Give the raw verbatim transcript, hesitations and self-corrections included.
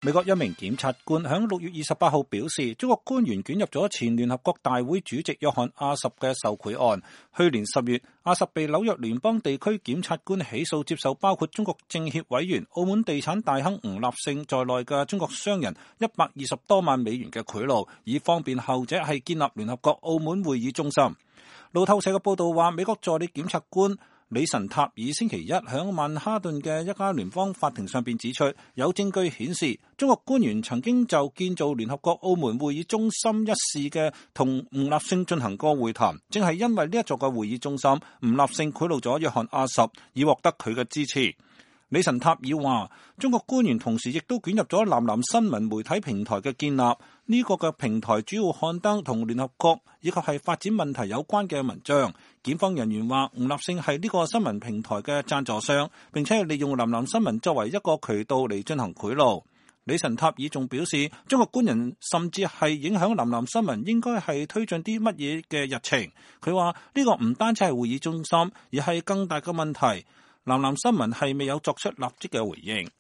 美國一名檢察官響六月二十八號表示，中國官員捲入咗前聯合國大會主席約翰阿什嘅受賄案。去年十月，阿什被紐約聯邦地區檢察官起訴，接受包括中國政協委員、澳門地產大亨吳立勝在內嘅中國商人一百二十多萬美元嘅賄賂，以方便後者係建立聯合國澳門會議中心。路透社嘅報道話，美國助理檢察官李臣塔爾星期一響曼哈頓嘅一家聯邦法庭上邊指出，有證據顯示中國官員曾經就建造聯合國澳門會議中心一事嘅同吳立勝進行過會談，正係因為呢一座嘅會議中心，吳立勝賄賂咗約翰阿什，以獲得佢嘅支持。李臣塔爾話，中國官員同時亦都捲入咗南南新聞媒體平台嘅建立，呢個嘅平台主要刊登同聯合國以及係發展問題有關嘅文章。檢方人員話，吳立勝係呢個新聞平台嘅贊助商，並且係利用南南新聞作為一個渠道嚟進行賄賂。李臣塔爾仲表示，中國官人甚至係影響南南新聞應該係推進啲乜嘢嘅日程。佢話呢個唔單止係會議中心，而係更大嘅問題。南南新聞係未有作出立即嘅回應。